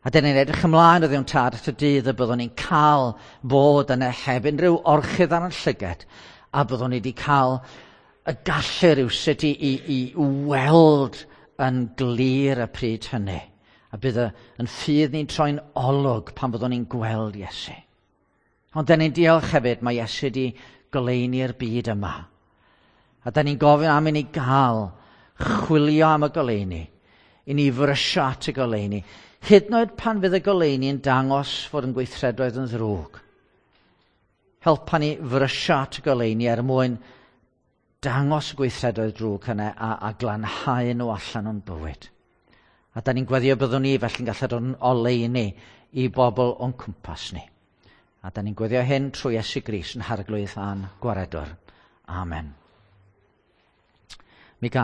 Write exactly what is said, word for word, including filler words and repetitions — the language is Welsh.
A dyn ni'n edrych ymlaen o Dduw'n Tad at y dydd y byddwn ni'n cael bod yna heb unrhyw orchudd ar yn llygad, a byddwn ni wedi cael y gallu rywsut i, i, i weld yn glir y pryd hynny. A bydd y, yn ffydd ni'n troi'n olwg pan byddwn ni'n gweld Iesu. Ond dyn ni'n diolch hefyd, mae Iesu wedi goleuni'r byd yma. A dyn ni'n gofyn am i ni gael chwilio am y goleuni, i ni frysio at y goleuni, hyd yn oed pan fydd y goleuni yn dangos fod yn gweithredoedd yn ddrwg. Helpa ni frysio at y goleuni er mwyn dangos y gweithredoedd drwg yna a, a glanhau nhw allan o'n bywyd. A da ni'n gweddio byddwn ni felly'n gallu dod yn oleuni i bobl o'n cwmpas ni. A da ni'n gweddio hyn trwy Iesu Grist yn Harglwydd a'n Gwaredwr. Amen.